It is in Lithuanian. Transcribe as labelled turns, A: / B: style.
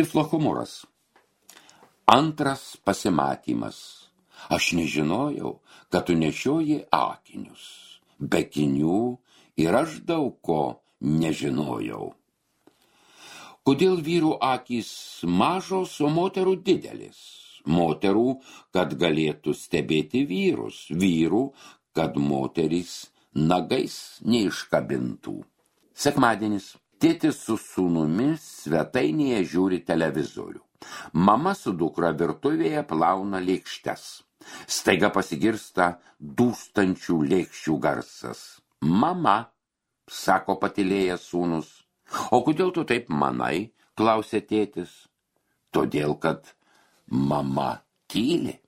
A: Tiflo humoras. Antras pasimatymas. Aš nežinojau, kad tu nešioji akinius. Be akinių ir aš daug ko nežinojau. Kodėl vyrų akys mažos, o moterų didelis? Moterų, kad galėtų stebėti vyrus. Vyrų, kad moterys nagais neiškabintų. Sekmadienis. Tėtis su sūnumi svetainėje žiūri televizorių. Mama su dukra virtuvėje plauna lėkštes. Staiga pasigirsta dūstančių lėkščių garsas. Mama, sako patylėjęs sūnus. O kodėl tu taip manai, klausė tėtis. Todėl, kad mama tyli.